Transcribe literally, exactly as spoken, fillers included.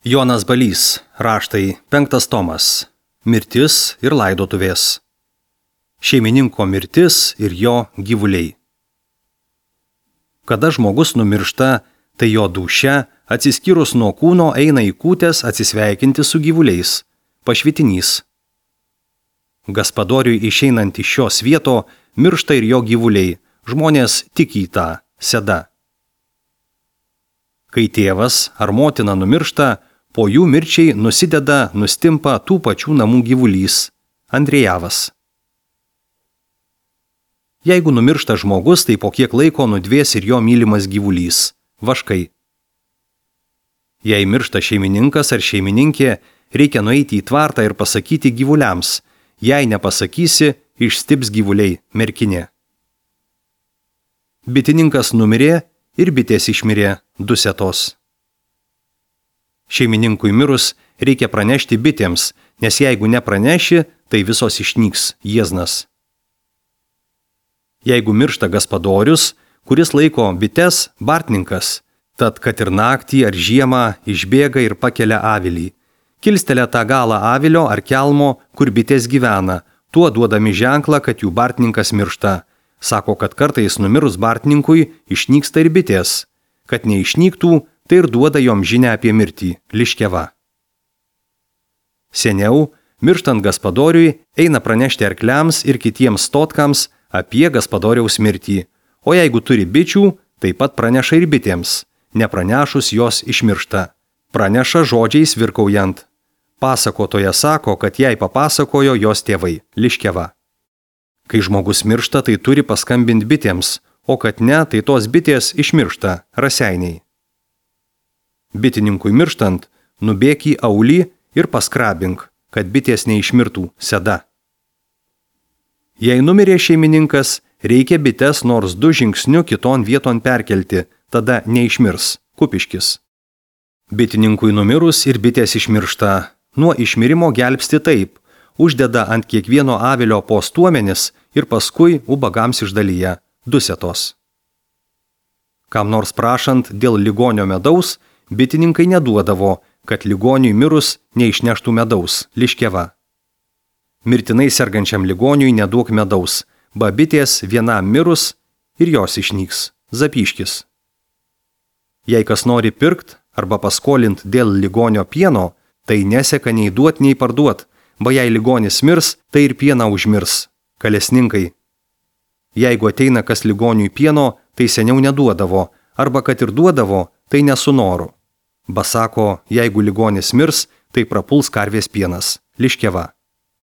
Jonas Balys, raštai, penktas tomas, mirtis ir laidotuvės. Šeimininko mirtis ir jo gyvuliai. Kada žmogus numiršta, tai jo dūšia, atsiskyrus nuo kūno, eina į kūtes atsisveikinti su gyvuliais, pašvitinys. Gaspadoriui išeinant iš šios vieto, miršta ir jo gyvuliai, žmonės tik į tą seda. Kai tėvas ar motina numiršta, po jų mirčiai nusideda, nustimpa tų pačių namų gyvulys, Andrejavas. Jeigu numiršta žmogus, tai po kiek laiko nudvės ir jo mylimas gyvulys, vaškai. Jei miršta šeimininkas ar šeimininkė, reikia nueiti į tvartą ir pasakyti gyvuliams, jei nepasakysi, išstips gyvuliai, merkinė. Bitininkas numirė ir bitės išmirė, dusetos. Šeimininkui mirus reikia pranešti bitėms, nes jeigu nepraneši, tai visos išnyks, jieznas. Jeigu miršta gaspadorius, kuris laiko bites, bartninkas, tad kad ir naktį ar žiemą išbėga ir pakelia avilį. Kilstelia tą galą avilio ar kelmo, kur bitės gyvena, tuo duodami ženklą, kad jų bartninkas miršta. Sako, kad kartais numirus bartninkui išnyksta ir bitės. Kad neišnyktų, tai ir duoda jom žinią apie mirtį, liškeva. Seniau, mirštant gaspadoriui, eina pranešti arkliams ir kitiems stotkams apie gaspadoriaus mirtį, o jeigu turi bičių, taip pat praneša ir bitėms, nepranešus jos išmiršta. Praneša žodžiais virkaujant. Pasakotoja sako, kad jai papasakojo jos tėvai, liškeva. Kai žmogus miršta, tai turi paskambinti bitėms, o kad ne, tai tos bitės išmiršta, raseiniai. Bitininkui mirštant, nubėk į aulį ir paskrabink, kad bitės neišmirtų, seda. Jei numirė šeimininkas, reikia bites nors du žingsniu kiton vieton perkelti, tada neišmirs, kupiškis. Bitininkui numirus ir bitės išmiršta, nuo išmirimo gelbsti taip, uždeda ant kiekvieno avilio po stuomenis ir paskui ubagams išdalyja, dusetos. Kam nors prašant dėl ligonio medaus, bitininkai neduodavo, kad ligoniui mirus neišneštų medaus, liškeva. Mirtinai sergančiam ligoniui neduok medaus, babitės vienam mirus ir jos išnyks, zapyškis. Jei kas nori pirkt arba paskolint dėl ligonio pieno, tai neseka nei duot, nei parduot, ba jei ligonis mirs, tai ir pieną užmirs, kalesninkai. Jeigu ateina kas ligoniui pieno, tai seniau neduodavo, arba kad ir duodavo, tai nesu noru. Ba sako, jeigu ligonis mirs, tai prapuls karvės pienas, liškeva.